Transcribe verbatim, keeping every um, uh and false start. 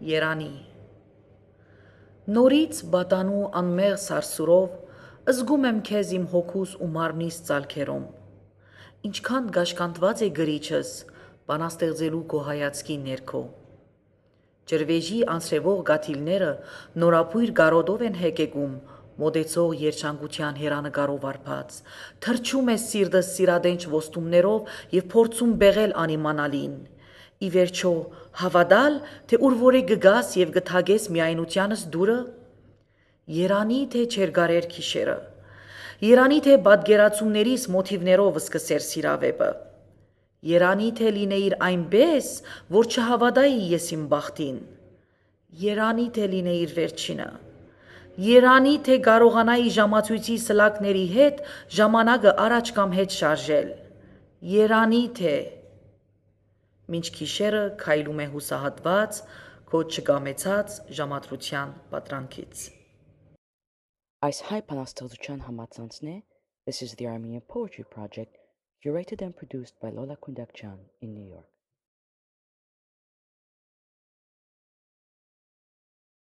Երանի Նորից բատանու անմեղ սարսուրով զգում եմ քեզ իմ հոգուս ու մարմնիս ծալքերում, ինչքան գաշկանտված է գրիչս բանաստեղծելու քո հայացքի ներքո։ Ջրվեժի անսրևող գաթիլները նորապույր գարոտով են հեկեկում մոտեցող երջանկության հերանեկարով արբած, թրջում է սիրտս սիրադենչ ոստումներով և փորձում բեղել անիմանալին, ի վերջո հավատալ, թե ուր որ է գգաս և գթագես միայնությանս դուրը։ Երանի թե չերգարեր քիշերը, երանի թե պատկերացումներիս մոթիվներով սկսեր սիրավեպը, երանի թե լինեիր այնպես, որ չհավատայի ես իմ բախտին, երանի թե լինեիր վերջինը, երանի թե կարողանայի ժամացույցի սլակների հետ ժամանակը առաջ կամ հետ շարժել, երանի թե… Մինչ գիշերը քայլում է հուսահատված քո չկամեցած ժամադրության պատրանքից։ Այս հայ բանաստեղծության համացանցն է This is the Armenian Poetry Project, curated and produced by Lola Kundakjan in New York.